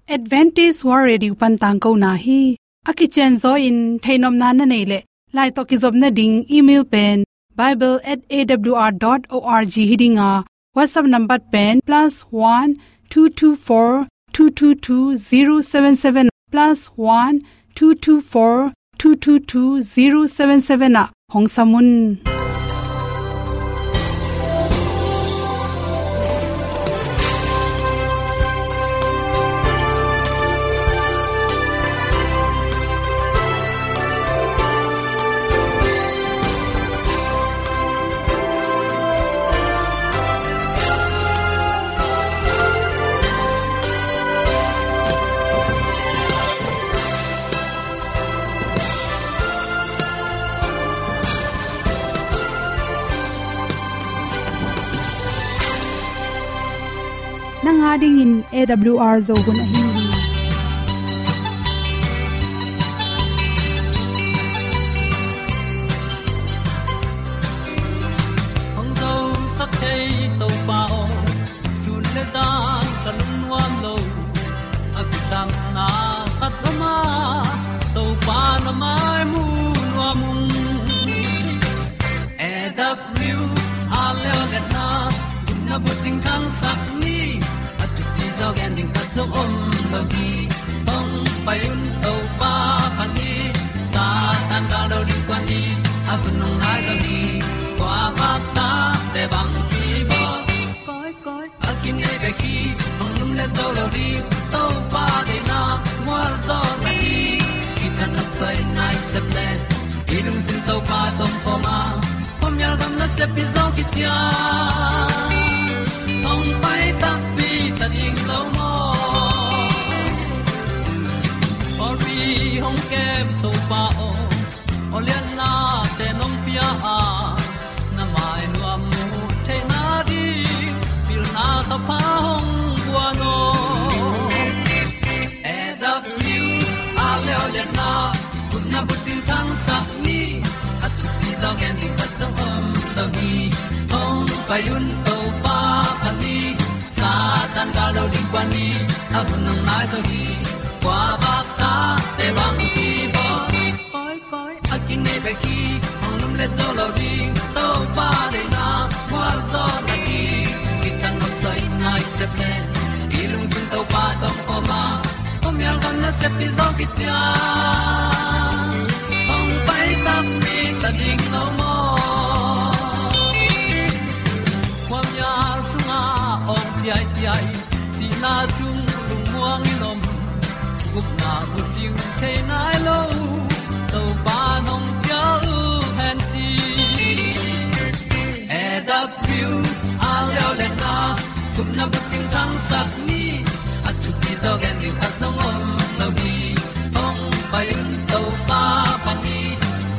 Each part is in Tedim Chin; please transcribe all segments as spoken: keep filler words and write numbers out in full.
Adventist World Radio pan tangkona hi. A kicianzaw in theihnopna na neih leh, lai tawh kizopna ding email pen bible at A W R dot org hi ding a, WhatsApp number pen plus one two two four two two two zero seven seven, plus one two two four two two two zero seven seven ah hong sam un. Nang a dingin A W R Zo hun ahi hi. Hong zosak thei Topa aw, sun le zan ka lungnuam lo. A kisapna khat om a, Topa na mai mu nuam ung. A W R Zo hun a, gupna bucing thangsak ni. A thupi zaw gen ding khat zong om lo hi. Hong pai un Topa phat ni. Satan gal do ding kuan ni. A hun hong nai zo ni. Kua bak ta te bang ki bawl. Koi, koi, a kinei bek hi, hong lum le zo lo ding, Topa deihna mual zaw na hi. Kithanuam soi nai sep le, i lungsim Topa tawh om khawm a, khuamial gam nasep hi zaw kician. Hong pai takpi ta ding lo maw? Pawlpi hong kem Topa aw, aw liannate nong pia a, na mai nuam mu theihna ding, pilna thapha hong guan aw. A W R Zo hun a, gupna bucing thangsak ni. A thupi zaw gen ding khat zong om lo hi. Hong pai un Topa phat ni. Satan gal do ding kuan ni. A hun hong nai zo hi. Kua bak ta te bang ki bawl. Koi, koi, a kinei bek hi, hong lum le zo lo ding, Topa deihna mual zaw na hi. Kithanuam soi nai sep le, i lungsim Topa tawh om khawm a, khuamial gam nasep hi zaw kician. Hong pai takpi ta ding lo maw? Khuamial sungah awng ciaiciai, sihna sung lungmuang in om, gupna bucing thei nai lo, Topa nong ciah uh hen ci. A W R Zo hun a, gupna bucing thangsak ni. A thupi zaw gen ding khat zong om lo hi. Hong pai un Topa phat ni.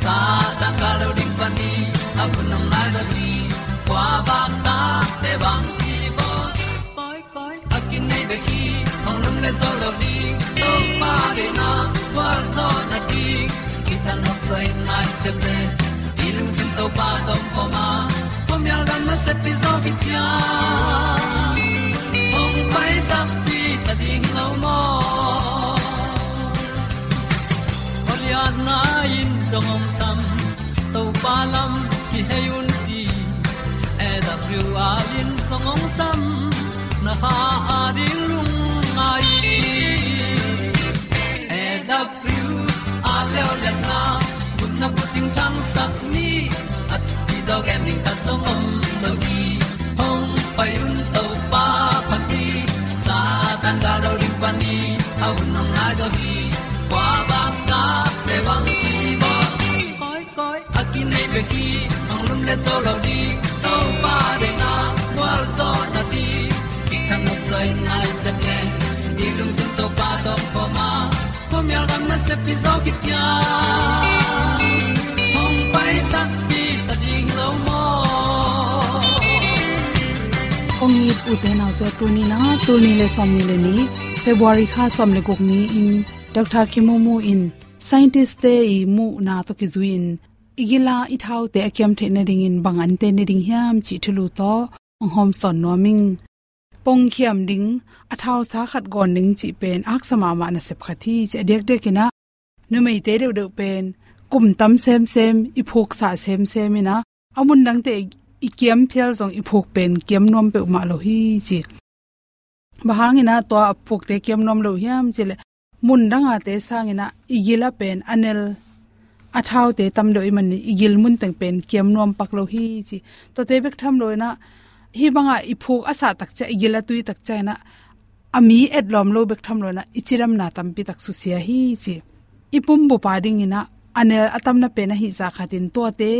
Satan gal do ding kuan ni. A hun hong nai zo hi. Kua bak ta te bang ki bawl. Koi, koi, a kinei bek hi, hong lum le zo lo ding, Topa deihna mual zaw na hi. Kithanuam soi nai sep le, i lungsim Topa tawh om khawm a, khuamial gam nasep hi zaw kician. Hong pai takpi ta ding lo maw? Aw lianna in zong hong sam, Topa lam kihei un ci. A W R in zong hong sam, na kha a ding lungngai. A W R Zo hun a, gupna bucing thangsak ni. A thupi zaw gen ding khat zong om lo hi. Hong pai un Topa phat ni. Satan gal do ding kuan ni. A hun hong nai zo hi. Kua bak ta te bang ki bawl. Koi, koi, a kinei bek hi, hong lum le zo lo ding, Topa deihna mual zaw na hi. Kithanuam soi nai sep le, i lungsim Topa tawh om khawm a, khuamial gam nasep hi zaw kician. Hong pai takpi ta ding lo maw? Kong it ute naute, tuni na, tul nih le sawmnih le nih, February kha sawm le guk ni-in, Doctor Kim Mu Mu in scientist-te i muhna tawh kizui-in, i gila i thaute a kiam theih nadingin bang an tei nading hiam cih thulu tawh hong hawmsawn nuam ing. pongkhiam ding, a thausa khat gawn ding cih pen a haksa mahmah nasep khat hi ci. A diakdiak in ah numeite deuhdeuh pen kum tam semsem, i phuksa semsem in ah a mun dangte i kiam phial zong i phuk pen kiam nuam peuhmah lo hi ci. Bang hangin ah tua a phukte kiam nuam lo hiam cih leh, mun dang ate sangin ah i gil ah pen a nel a thaute tam deuh ahih manin i gil mun teng pen kiam nuam pak lo hi ci. Tuate bek tham lo in ah hih bangah i phuk a sah tak ciang, i gil a tui tak ciangin ah a mi etlawm lo bek tham lo in ah i cidamna tampi tak susia hi ci. I pumbup a dingin ah a nel a tamna pen ahih zah khatin tuate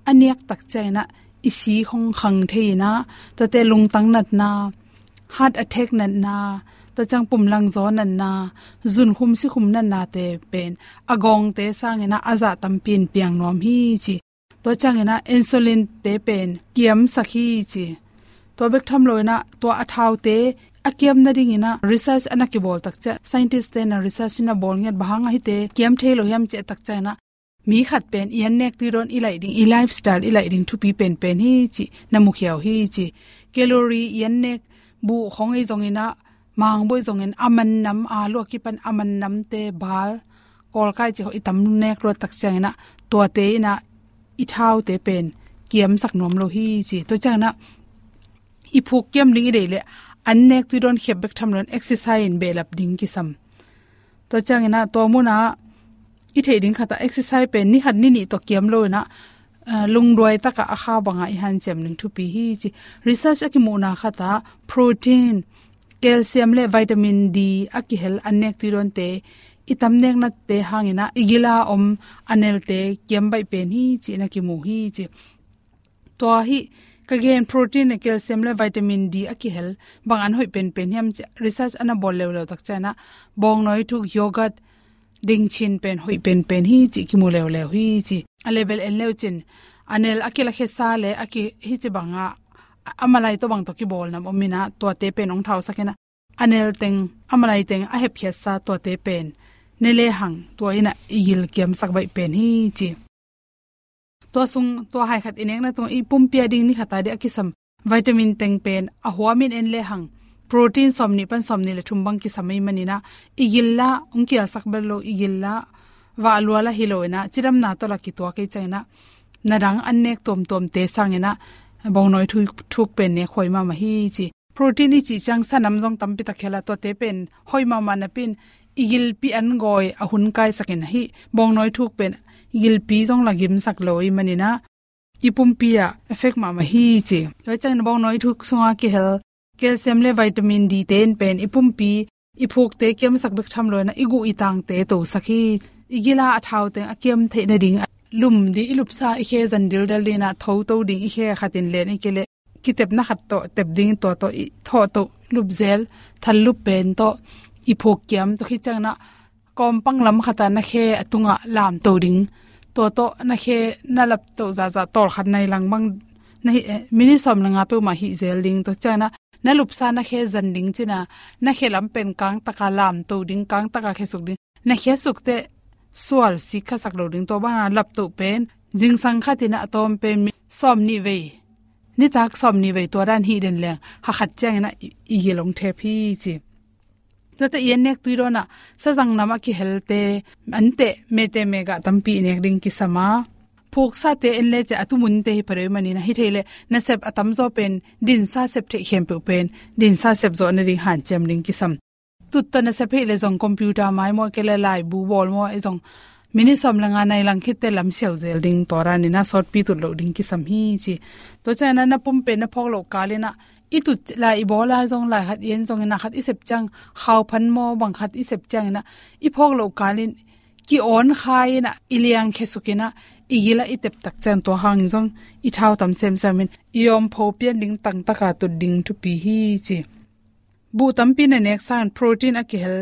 a niak tak ciangin ah i si hong khang thei in ah tuate lungtang natna, heart attack natna, tua ciang pumlangzaw natna, zunkhum sikhum natnate pen a gawngte sangin ah a zah tampi in piang nuam hi ci. Tua ciangin ah insulin-te pen kiamsak hi ci. Tua bek tham lo in ah tua a thaute a kiam nadingin ah research a na kibawl tak ciang, scientist-te in ah research na bawl ngiat, bang hang a hihte kiam thei lo hiam cih tak ciangin ah mi khat pen i an nek tui dawn i laih ding, i lifestyle i laih ding thupi penpen hi ci, na mukhia uh hi ci. Calorie, i an nek buh khong i zongin ah, mangbuh i zongin, a man nam, a lua kipan a man namte, bal, kawlkai cih khong i tam nek luat tak ciangin ah tuate in ah i thaute pen kiamsak nuam lo hi ci. Tua ciangin ah i phuk kiam ding i deih leh an nek tui dawn khiap bek tham lo in exercise in behlap ding kisam. Tua ciangin ah tua munah i theih ding khatah exercise pen ni khat ni nih tawh kiam lo in ah, ah, lungduai takah a kha bangah i hanciam ding thupi hi ci. Research a kimuhna khatah protein, calcium le vitamin D a kihel an nek tui dawnte i tam neknate hangin ah i gil a om a nelte kiam baih pen hi ci-in a kimu hi ci. Tua hih ka gen protein le calcium le vitamin D a kihel bang an hoih penpen hiam cih research a na bawl leuleu tak ciangin ah bawngnawi thuk, yogurt, dingchin pen hoih penpen hi cih kimu leuleu hi ci. A level en leu cin a nel a kilakhesa le a ki, hih ci bangah a malai tawh bang tawh kibawl nam om in ah tuate pen hong thausak in ah a nel teng, a malai teng a hepkhiatsa tuate pen ne lehang tua in ah i gil kiamsak baih pen hi ci. Tua sung, tua hai khat i nekna tungah i pumpi a ding ni khat a ding a kisam vitamin teng pen a huamin en lehang protein sawmnih pan sawmnih le thum bang kisam ahih manin ah i gil lah hong kialsak bel lo, i gil lah vah lua lah hi lo in ah cidamna tawh lah kituak ahih ciangin ah na dang an nek tuamtuamte sangin ah bawngnawi thuk, thuk pen nek huai mahmah hi ci. Protein i cih ciang sa nam zong tampi tak hel a, tuate pen hoih mahmah napi-in i gilpi an gawi a hun kaisak in ah hih bawngnawi thuk pen gilpi zong lah gimsak lo ahih manin ah i pumpi ah effect mahmah hi ci. Tua ciangin bawngnawi thuk sungah kihel calcium le vitamin D te in pen i pumpi, i phukte kiamsak bek tham lo in ah i guh i tangte tosak hi. I gil a a thau teng a kiam theih nading lum ding, i lupsa i khe zan dildel ding in ah tho to ding, i khe khat in len i kei leh kitepna khat tawh tep ding, tua tawh i thawh to, lupzel, thallup pen tawh i phuk kiam, tua khit ciangin ah kawmpang lam khatah na khe a tungah lamto ding, tua tawh na khe na laptoh zahzah tawlkhat nai lang bang na hih, eh, minute sawm le nga peuhmah hih zel ding, tua ciangin ah na lupsa na khe zan ding ci-in ah na khe lam pen kangtaka lamto ding, kangtaka khesuk ding. Na khesuk teh sual sik khasak lo ding, tua bangin ah laptoh pen zingsang khat in ah a tawm pen mi sawmnih vei, nitak sawmnih vei tua dan hih den leng ha khat ciangin ah i, i gil hong thep hi ci. Tuate i an nek tui dawn ah sazang nam a kihelte, anteh, meteh, megah tampi i nek ding kisam a, phuksate en le ciang a tumunte hi pha deuh ahih manin ah, hi thei leh nasep a tamzaw pen dinsa sep theih khempeuh pen dinsa sep zawh nading hanciam ding kisam. Tut tawh nasep hi leh zong computer mai maw, kei leh laibu bawl maw, i zong minute sawm le nga nai lang khit teh lam siau zel ding, tua dan in ah sawtpi tut loh ding kisam hi ci. Tua ciangin ah na pum pen na phawk loh kal in ah i tut lai i bawl lai zong, lai khat i en zongin ah khat i sep ciang, khauphan maw bang khat i sep ciangin ah i phawk loh kal in ki-awn khai in ah i liang khesuk in ah i gil ah i tep tak ciang tua hang zong i thau tam semsem in i awmpho pian ding, tangtaka tut ding thupi hi ci. Buh tampi na nek sangin protein a kihel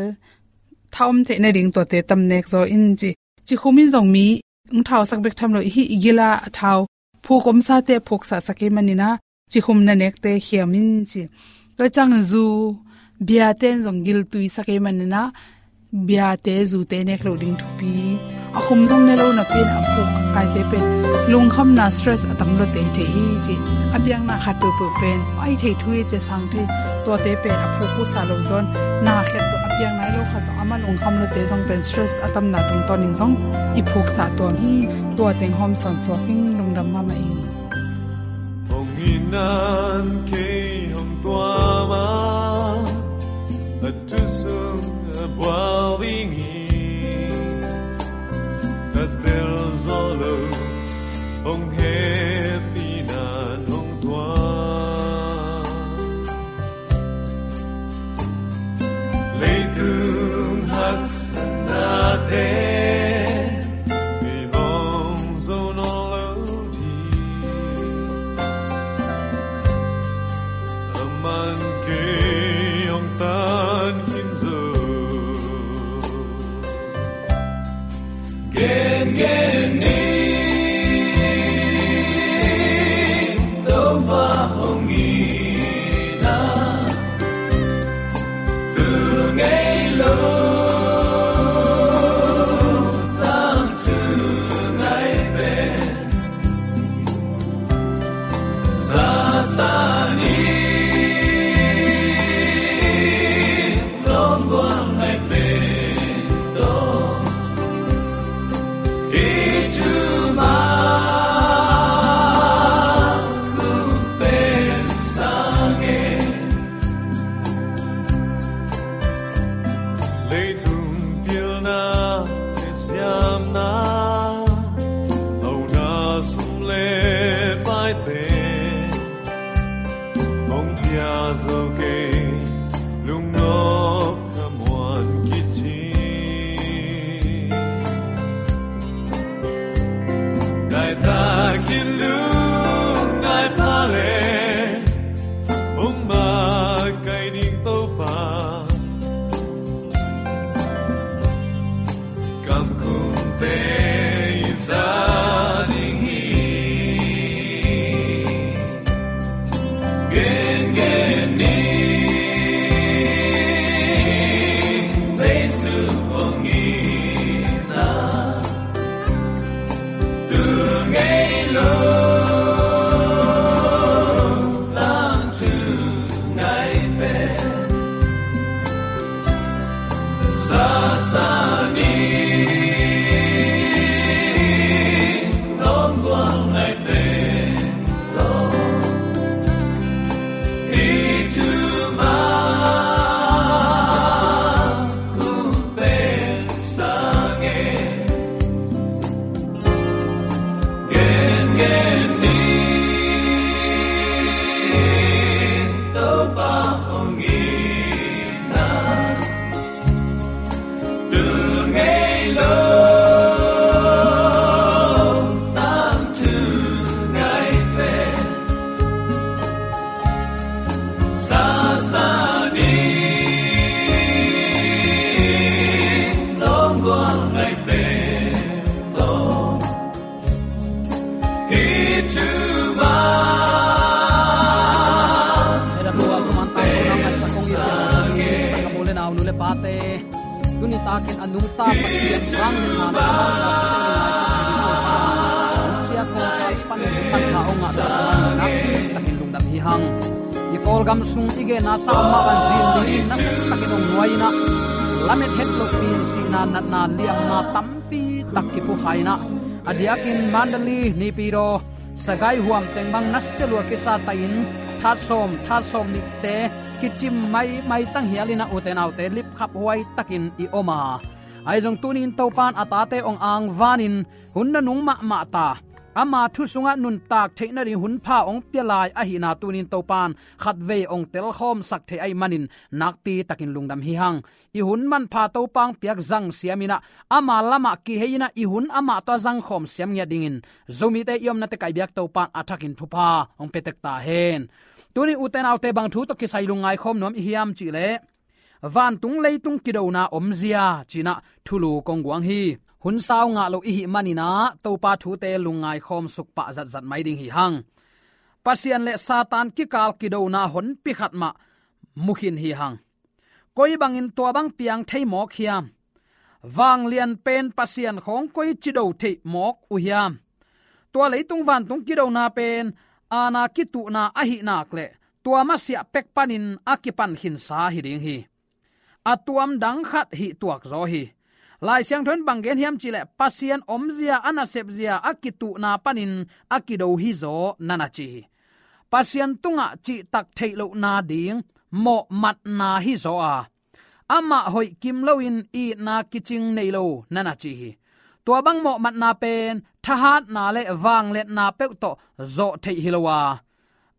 tha om theih nading tuate tam nek zaw in ci. Cikhum in zong mi hong thausak bek tham lo, i hih i gil a a thau phuk omsate a phuksahsak ahih manin ah cikhum na nekte khiam in ci. Tua ciang zu, bia ten zong giltuisak ahih manin ah biate, zute nek loh ding thupi, a khum zong ne lo napi-in a phuk kaite pen lungkhamna, stress a tam lua teitei hi ci. A biakna khat peuhpeuh pen a i thei thu hi ci a, sang thei, tuate pen a phuk husa lo zaw-in na khat peuh a biakna hi lo khat zong amah lungkham luate zong pen stress a tamna tungtawnin zong i phuksa tuam hi. Tua teng hawm sawn suak ing. Lungdam mahmah ing. Hong itna in kei hong tuam a, a thu sung a bual ding hi. Ka tel zaw lo, hong hehpihna in hong tuam. Leitung haksatnate i hong zo nawn lo ding, aman kei hong tan khin zo. Gengen ni, Topa hong itna, tu ngei lo, tangthu ngai pen, sasa ni, lawm gual ngai pen tawh, hih thu mah hong pen sang e. Leitung pilna le siamna, hauna sum le paite, hong pia zo kei, lungnop khamuan khit hi. Ngai takin lungngai pha le, hong makaih ding Topa, kamkhumte i za ding hi. Gengen ni, Jesu hong itna, tu ngei lo, tangthu ngai pen, sasa ni, lawm gual ngai pen tawh, hih thu mah hong pen sang e. Gengen ni, Topa hong itna, tu ngei lo, tangthu ngai pen, sasa ni, lawm gual ngai pen tawh, hih thu mah hong pen sang e. Tuni takin a nungta Pasian sang le hna le a mawhna sia kawlkal pan pan kha hong ngahsak manin nakpi takin lungdam hi hang. I Kawlgam sung i genna sang mah bang zin dingin nasep takin hong nuai in ah, lamet het lopi in sihna, natna, liamna tampi tak kiphukhia in ah, a diakin Mandalay, Naypyidaw, Sagaing huam teng bang nasia lua kisa ta in, that sawm, that sawm nihte kicim maimai tanghial in ah, ute naute, lipkhaphuai takin i om a, ahi zong tuni in Topa in a tate hong angvanin hun nanung mahmah ta, ama thu sungah nuntak theih nading hun pha hong pia lai ahihna tuni in Topa in khatvei hong telkhawmsak thei ahih manin nakpi takin lungdam hi hang. I hun manpha Topa hong piak zang siam in ah, ama lamah kihei in ah, i hun amah tawh a zangkhawm siam ngiat dingin Zomite i omna teh Kaibiak Topa in a thakin thupha hong pia tek ta hen. Tuni ute naute, bang thu tawh kisai lungngai khawm nuam i hiam cih leh, vantung leitung kidona omzia ci-in ah thulu kong guang hi. Hun sau ngah lo i hih manin ah Topa thute lungngai khawm suk pah zatzat mai ding hi hang. Pasian le Satan kikal kidona honpi khat mah mu khin hi hang. Koi bangin tua bang piang thei mawk hiam? Vanglian pen Pasian khawng koi ci do theih mawk uh hiam? Tua leitung vantung kidona pen aana kituhna ahih nak leh tua masiah pek panin a kipan khinsa hi ding hi. A tuam dang khat hih tuak zaw hi. Lai Siangtho in bang gen hiam cihleh Pasian omzia a nasepzia a kituhna panin a kido hi zaw na na ci hi. Pasian tungah cihtak theih lohna ding mawhmatna hi zaw a, amah hoih kim loin itna kicing nei lo na na ci hi. Tua bang mawhmatna pen thahatna le vangliatna peuh tawh zawh theih hi lo a,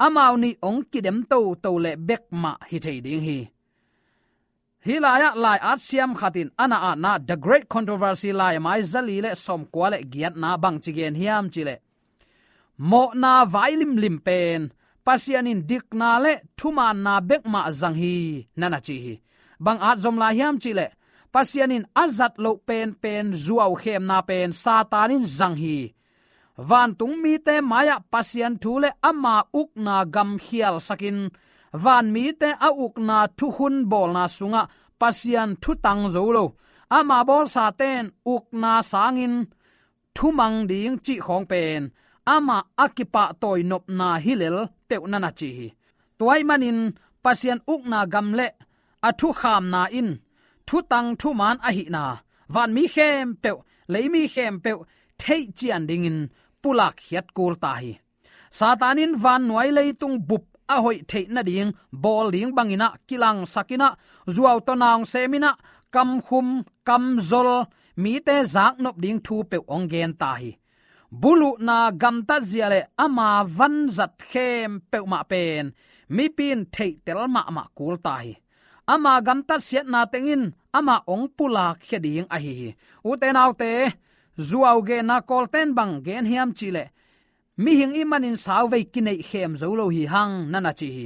amau nih hong kidem toto le bekmah hi thei ding hi. Hih lai-ah lai-at siam khat in a na atna The Great Controversy lai a mai zali le sawmkua le giatna bangci gen hiam cihleh, mawhna vai limlim pen Pasian in dikna le thumaanna bekmah zang hi na na ci hi. Bang at zom lai hiam cihleh, Pasian in a zat loh penpen zuaukhemna pen Satan in zang hi. Vantung mite mai-ah Pasian thu le ama ukna gam khialsakin, van mite a ukna thukhun bawlna sungah Pasian thutang zo lo, ama bawlsate'n ukna sangin thumang ding cih khawng pen amah a kipahtawi nopna hi lel peuh na na ci hi. Tua ahih manin Pasian ukna gam le a thukhamna in thutang thumaan ahihna vanmi khempeuh, leimi khempeuh theih cian dingin pulak khiat kul ta hi. Satan in vannuai leitung bup a hoih theih nading bawl ding bangin ah kilangsakin ah, zuau tawh naung semin ah, kamkhum kamzol mite zaknop ding thu peuh hong gen ta hi. Buluhna gamtatzia le ama vanzat khempeuh mah pen mipi in theihtel mahmah kul ta hi. Ama gamtat siatna teng in amah hong pulak khia ding ahi hi. Ute naute, zuau genna Kawlte'n bang gen hiam cihleh, mihing ih manin sauvei kineih khem zo lo hi hang na na ci hi.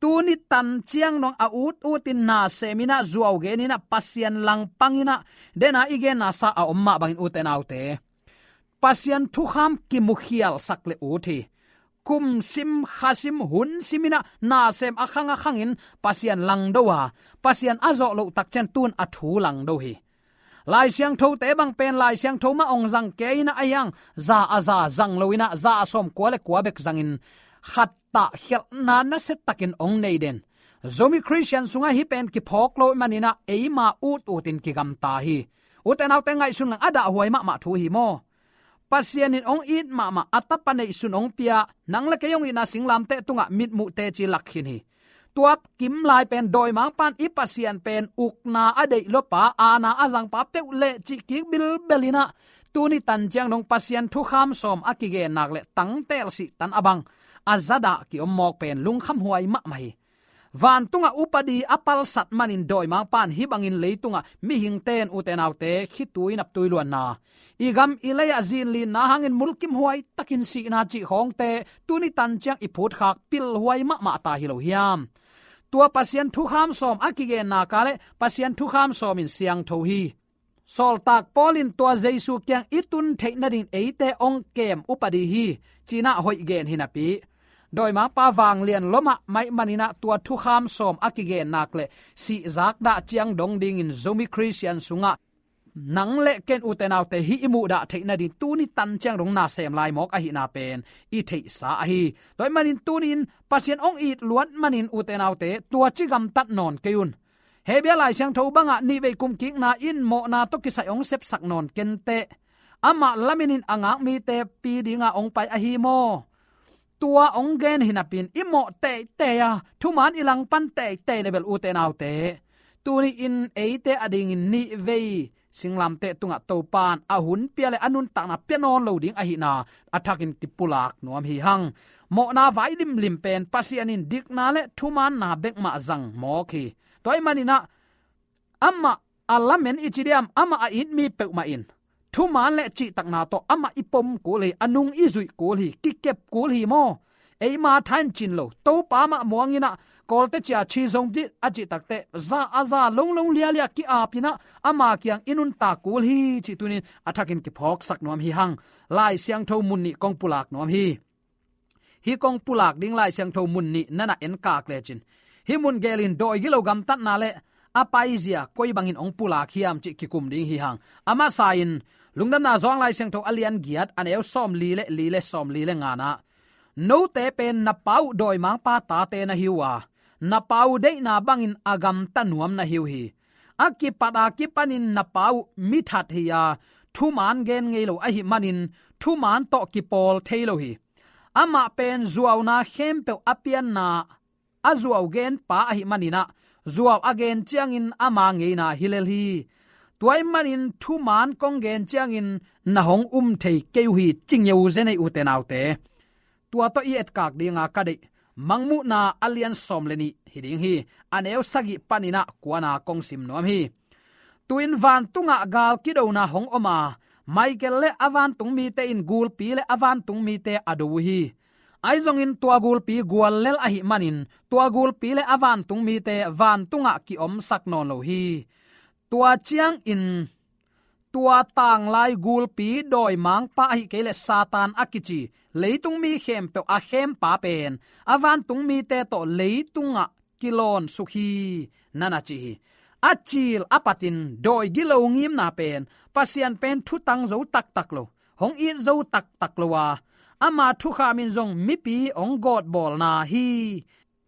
Tuni tan ciang dong a ut utin na semin ah, zuau genin ah, Pasian langpangin ah, dena i genna sa a om mah bangin ute naute, Pasian thukham kimukhialsak le ut hi. Kum sim, kha sim, hun simin ah, na sem a khang a khangin Pasian langdo a, Pasian a zawh loh tak ciang tu'n a thu langdo hi. Lai Siangthote bang pen Lai Siangtho mah hong zang kei in ah, a hiang za a za zang loin ah, za a sawmkua le kua bek zangin khat tah khialhna nasiatakin hong nei den Zomi Khristian sungah hih pen kiphawk lo ahih manin ah, eima ut utin kigamta hi. Ute naute, ngaihsun leng a dahhuai mahmah thu hi maw. Pasian in hong it mahmah a tapa neihsun hong pia, nang le kei hong itna singlamteh tungah mitmuh teci lak khin hi. Tua kim lai pen dawimangpa'n i Pasian pen ukna a deih lopa, aana a zangpa peuh leh cih kik bilbel in ah, tuni tan ciang dong Pasian thukham sawm a kigen nak leh tangtel sih tan a bang a zadah kiom mawk pen lungkhamhuai mahmah hi. Vantungah upadi a palsat manin dawimangpa'n hih bangin leitungah mihingte'n, ute naute, khitui naptui luanna, i gam i lei-ah zinlinna hangin mulkimhuai takin sihna cih khawngte tuni tan ciang i phutkhak pilhuai mahmah ta hi lo hiam? Tua Pasian thukham sawm a kigenna ka le Pasian thukham sawm in siangtho hi. Sawltak Paul in tua Jesu kiang i tun theih nadingin eite hong kem upadi hi, ci-in ah hoih gen hi napi, dawimangpa vanglian lua mahmah ahih manin ah tua thukham sawm a kigen nak leh sihzak dah ciang dong dingin Zomi Khristian sungah nang le ken, ute naute, hih i muhdah theih nading tuni tan ciang dong na sem lai mawk ahihna pen i theihsa ahi. Tua ahih manin tuni-in Pasian hong it luat manin, ute naute, tua ci gamtat nawn kei un. Hebru Lai Siangtho bangah nihvei kumkikna in mawhna tawh kisai hong sepsak nawn kenteh. Amah lamen in a ngak mite pi dinga hong pai ahi maw? Tua hong gen hi napi-in i mawh teitei a, thuman i langpan teitei le bel, ute naute, tuni-in eite adingin nihvei singlamteh tungah Topa'n a hun pia le a nuntakna pia nawn lo ding ahihna a thakin kipulak nuam hi hang. Mawhna vai limlim pen Pasian in dikna le thumaanna bek mah zang mawk hi. Tua ahih manin ah, amah a lamen i ci diam, amah a it mi peuhmah in thumaan le cihtakna tawh amah i pom kul hi, a nung i zuih kul hi, kikep kul hi maw. Eima tha in cin lo, Topa mah muangin ah, Kawlte cia chi zong dih a cih takteh, za a za, longlong lialia ki-apin ah, ama kiang i nuntak kul hi cih tuni-in a thakin kiphawksak nuam hi hang. Lai Siangtho mun nih kong pulak nuam hi. Hih kong pulak ding Lai Siangtho mun nih na na enkak lecin, hih mun gelin dawi gilo gamtatna le a paizia koi bangin hong pulak hiam cih kikum ding hi hang. A masa in Lungdamna Johan Lai Siangtho a lian giat a neu sawmli le li le sawmli le ngana, note pen na Pa uh dawimangpa tate na hi uh a, na Pa uh deihna bangin a gamta nuam na hi uh hi. A kipat a kipanin na Pa uh mithat hi a, thuman gen ngei lo ahih manin thuman tawh kipawl thei lo hi. Amah pen zuauna khempeuh a pianna a zuau gen pa ahih manin ah, zuau a gen ciangin ama ngeina hi lel hi. Tua ahih manin thuman kong gen ciangin na hong um thei kei uh hi, ci ngeu zen ei, ute naute. Tua tawh i etkak dinga ka deih Mangmuhna a lian sawm le nih hi ding hi. A neu sagih panin ah kuana kong sim nuam hi. Tu-in vantungah gal kidona hong om a, Michael le a vantung mite in gulpi le a vantung mite a do uh hi. Ahi zongin tua gulpi gual lel ahih manin tua gulpi le a vantung mite vantungah kiomsak nawn lo hi. Tua ciangin tua tanglai gulpi dawimangpa ahih kei leh Satan a kici leitung mi khempeuh a khempa pen a vantung mite tawh leitungah kilawn suk hi, na na ci hi. A cil a patin dawi gilo ngimna pen, Pasian pen thutang zo taktak lo, hong it zo taktak lo a, ama thukham in zong mipi hong gawtbawlna hi,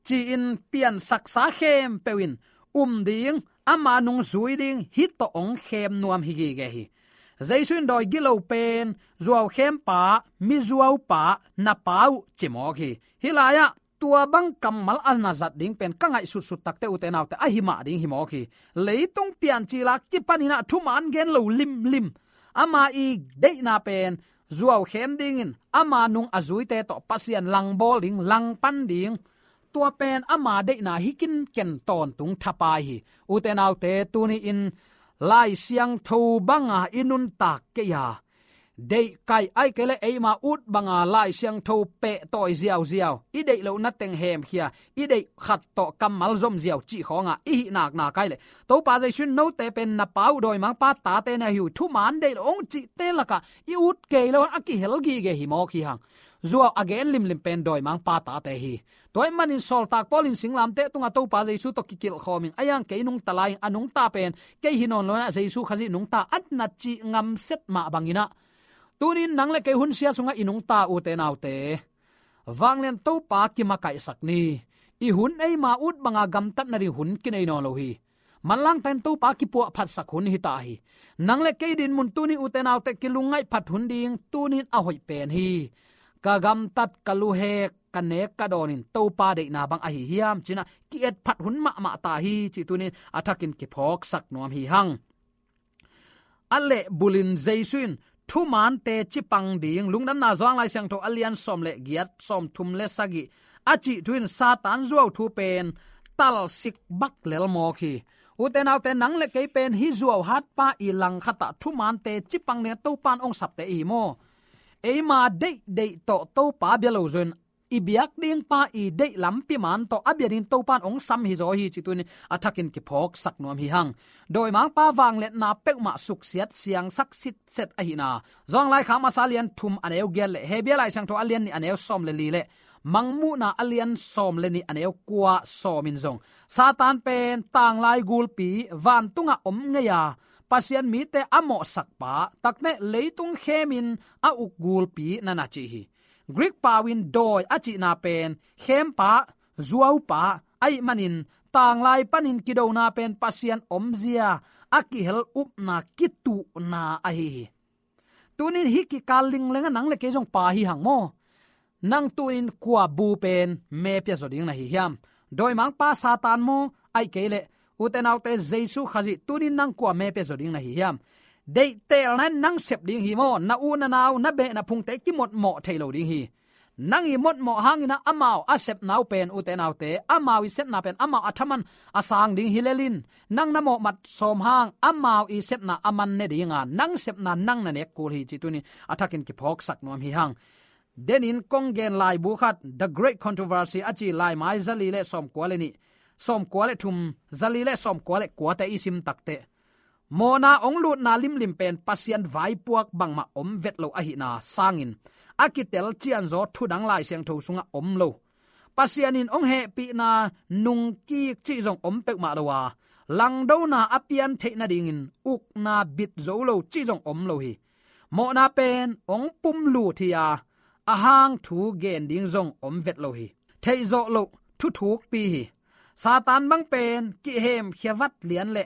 ci-in piansaksa khempeuh in um ding, ama nung zui ding, hih tawh hong khem nuam hi gige hi. Jesu in dawi gilo pen zuau khempa, mizuaupa, na Pa uh ci mawk hi. Hih lai-ah tua bang kammal a na zat ding pen ka ngaihsutsut takte, ute naute, ahi mah ding hi mawk hi. Leitung piancil a kipanin ah thuman gen lo limlim, ama i deihna pen zuau khem dingin ama nung a zuite tawh Pasian langbawl ding, langpan ding, tua pen ama deihna hi kinken tawntung thapai hi. Ute naute, tuni-in Lai Siangtho banga i nuntak kei a, deihkaih ahih kei leh eima ut banga Lai Siangtho pehtawi ziauziau, i deih lohna teng hemkhia, i deih khat tawh kammal zom ziau cih khawnga i hih naknak ahih leh, Topa Jesu in note pen na Pa uh dawimangpa tate na hi uh, thuman deih lo hong cihte lakah i ut kei lo a kihel gige hi mawk hi hang. Zuau a gen limlim pen dawimangpa tate hi. Tua ahih manin sawltak Paul in singlamteh tungah Topa Jesu tawh kikilhkhawmin, a hiang kei nungta lai-in a nungta pen kei hi nawn lo-in ah Jesu Khazih nungta, a na cih ngamset mah bangin ah, tuni-in nang le kei hun sia sungah i nungta, ute naute, vanglian Topa kimakaihsak ni. I hun eima ut banga gamtat nading hun kinei nawn lo hi. Manlangta in Topa kipuahphatsak hun hi ta hi. Nang le kei dinmun tuni, ute naute, kilungngaih phat hun ding tuni-in a hoih pen hi. Ka gamtat, ka luhek, ka nek ka dawnin Topa deihna bang ahi hiam ci-in ah ki-etphat hun mahmah ta hi, cih tuni-in a thakin kiphawksak nuam hi hang. A lehbulin Jesu in thumante cipang ding, Lungdamna Johan Lai Siangtho a lian sawm le giat, sawmthum le sagih a cih thu in Satan zuau thu pen talsik bak lel mawk hi. Ute naute, nang le kei pen hih zuau hatpa i langkhatah thumante cipang ding Topa in hong sapte i hi maw? Eima deihdeih tawh Topa bia lo zaw-in, i biak ding pa i deih lampi man tawh a bia ding Topa in hong sam hi zaw hi, cih tuni-in a thakin kiphawksak nuam hi hang. Dawimangpa vangliatna peuhmah suksiat siangsak sitset ahihna Johan Laikhak masa lian thum a neu giat le Hebru Lai Siangtho a lian nih a neu sawm le li le Mangmuhna a lian sawm le nih a neu kua sawmin zong Satan pen tanglai gulpi, vantungah om ngei a, Pasian mite a mawhsakpa, takte leitung khemin a uk gulpi na na ci hi. Greek pau in dawi a cihna pen khempa, zuaupa ahih manin, tanglai panin kidona pen Pasian omzia a kihel upna, kituhna ahi hi. Tunin hih kikal lingleng ah nang le kei zong pa hi hang maw? Nang tunin kua bu pen me pia zaw ding na hi hiam? Dawimangpa Satan maw? Ahih kei leh, ute naute, Jesu Khazih, tunin nang kua me pia zaw ding na hi hiam? Deihtelna in nang sep ding hi maw? Na u na nau, na beh na phungte kimotmawh thei lo ding hi. Nang i motmawh hangin ah amau a sepna uh pen, ute naute, amau i sepna pen amau a thaman a sang ding hi lel in, nang na mawhmat sawm hang amau i sepna a man ne ding a, nang sepna nang na nek kul hi, cih tunin a thakin kiphawksak nuam hi hang. Denin kong gen laibu khat, The Great Controversy a ci laimai zali le sawmkua le nih, sawmkua le thum, zali le sawmkua le kuate i sim takteh, mawhna hong lutna limlim pen Pasian vaipuak bangmah om vet lo ahihna sangin, a kitel cianzaw thudang Lai Siangtho sungah om lo. Pasian in hong hehpihna nungkik cih zong om peuhmah lo a, langdona a pian theih nadingin ukna bit zo lo cih zong om lo hi. Mawhna pen hong pumlut hi a, a hang thu gen ding zong om vet lo hi. Theihzawh loh thuthukpi hi. Satan bang pen kihemkhia vat lian le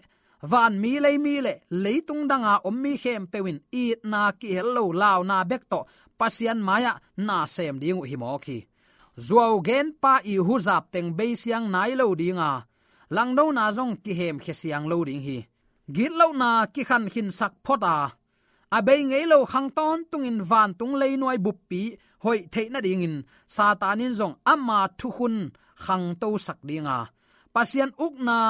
vanmi leimi le leitung danga om mi khempeuh in itna kihel lo launa bek tawh Pasian mai-ah na sem ding uh hi mawk hi. Zuau genpa i huzap teng beisiang nai lo dinga, langdona zong kihemkhia siang lo ding hi. Gitlohna kikhankhinsak phot a, a bei ngei lo khang tawntungin vantung leinuai buppi hoih theih nadingin Satan in zong ama thukhun khangtosak dinga, Pasian ukna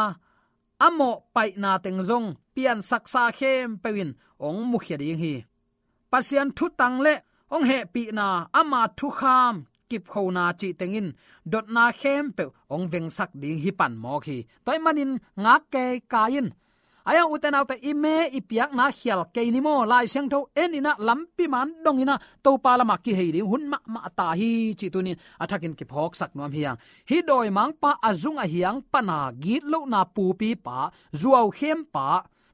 a mawhpaihna teng zong piansaksa khempeuh in hong mukhia ding hi. Pasian thutang le hong hehpihna, ama thukham kipkhona cih tengin dotna khempeuh hong vengsak ding hi pan mawk hi. Tua ahih manin ngak kei kai in. Ahi hang ute naute, i me i piakna khial kei ni maw, Lai Siangtho en in ah lampi man dong in ah Topa lamah kihei ding hun mahmah ta hi cih tunin a thakin kiphawksak nuam hi hang. Hih dawimangpa a zung a hiang pana gitlohna pupipa, zuaukhempa,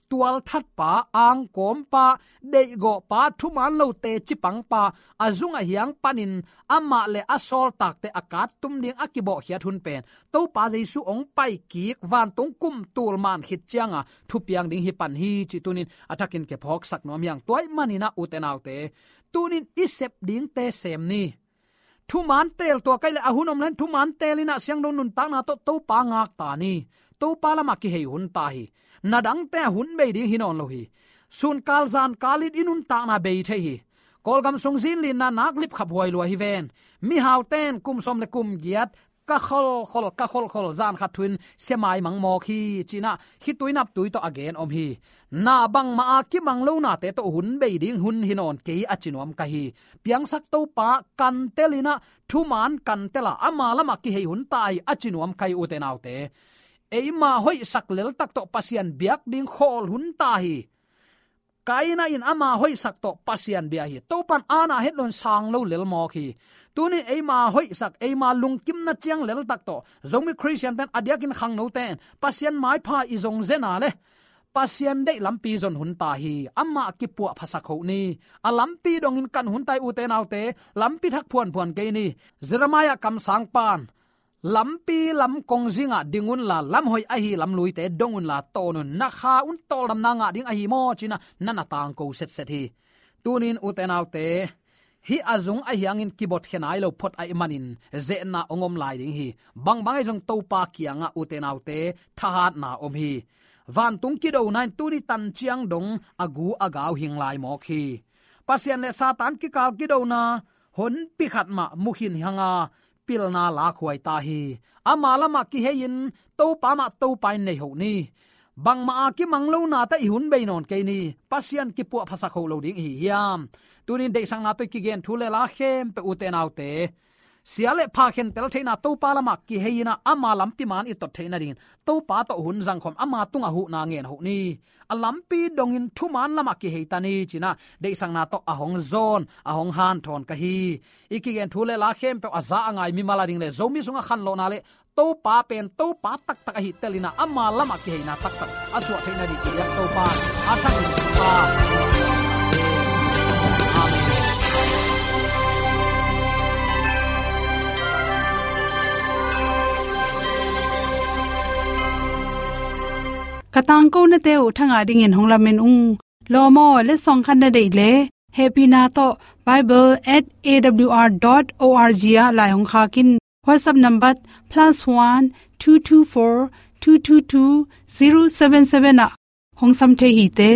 tualthatpa, angkawmpa, deihgawhpa, thuman lo teci pangpa, a zung a hiang panin amah le a sawltakte a kattum ding a kibawhkhiat hun pen Topa Jesu hong paikik vantung kum tul man khit cianga thupiang ding hi pan hi cih tunin a thakin kiphawksak nuam hi hang. Tua ahih manin ah ute naute, tunin i sep dingte sem ni. Thuman teel tuak ahih leh a hun om leng thuman teel in ah siangtho nuntakna tawh Topa ngak ta ni. Topa lamah kihei hun ta hi. Na dangte ah hun bei ding hi nawn lo hi. Sunkal zankal in i nuntakna bei thei hi. Kawlgam sung zinlinna nak lipkhap huai lua hi ven. Mihaute in kum sawm le kum giat ka kholkhol, ka kholkhol, zan khat thu-in sia maimang mawk hi ci-in ah khitui naptui tawh a gen om hi. Na bangmah a kimang lo nate tawh hun bei ding hun hi nawn kei a ci nuam ka hi. Piangsak Topa kantel in ah thuman kantel a, ama lamah kihei hun ta hi a ci nuam ka hi ute naute. Eima hoihsak leltak tawh Pasian biak ding khawl hun ta hi. Kaina in ama hoihsak tawh Pasian bia hi. Topan aana het loin sang lo lel mawk hi. Tunin eima hoihsak, eima lungkimna ciang leltak tawh Zomi Khristiante'n a diakin khangnote'n Pasian maipha i zong zen a leh Pasian deih lampi zon hun ta hi. Amah kipuahphasak hoh ni. A lampi dongin kan hun ta hi ute naute. Lampi thak phuanphuan kei ni. Jeremiah kamsangpa'n, lampi lam kongzingah ding unla, lam hoih ahi lamluite dong unla, tawn un. Na kha un tawldamna ngah ding ahi maw ci-in ah na na tangko setset hi. Tunin ute naute, hih a zung a hiangin kibotkhia nai lo phot ahih manin zehna hong om lai ding hi. Bangbang ahi zong Topa kiangah ute naute thahatna om hi. Vantung kidona in tuni tan ciang dong a gu a gau hing lai mawk hi. Pasian le Satan kikal kidona honpi khat mah mu khin hi hang a, pilna lakhuai ta hi. Ama lamah kihei-in Topa mah Topa in nei hoh ni. Bangmah a kimang lo nate i hun bei nawn kei ni. Pasian kipuahphasak hoh lo ding ihi hiam? Tunin deihsakna tawh i kigen thu le la khempeuh ute naute, sia le pha khentel theihna Topa lamah kihei in ah ama lampi man i tot theih nadingin Topa tawh hun zangkhawm, ama tungah huhna ngen hoh ni. A lampi dongin thuman lamah kihei ta ni ci-in ah deihsakna tawh a hong zawn, a hong hanthawn ka hi. I kigen thu le la khempeuh a za a ngai mimal a ding le Zomi sungah khanlawhna le Topa pen Topa taktak ahi tel in ah ama lamah kiheina taktak a suah theih nading i biak Topa a thak in Topa. Amen. Ka tangkonate uh thangah dingin hong lamen ung. Lawm aw, letsong khat na deih leh hehpihna tawh bible at A W R dot O R G ah lai hong khak in. WhatsApp number plus one two two four two two two zero seven seven ah hong sam thei hi te.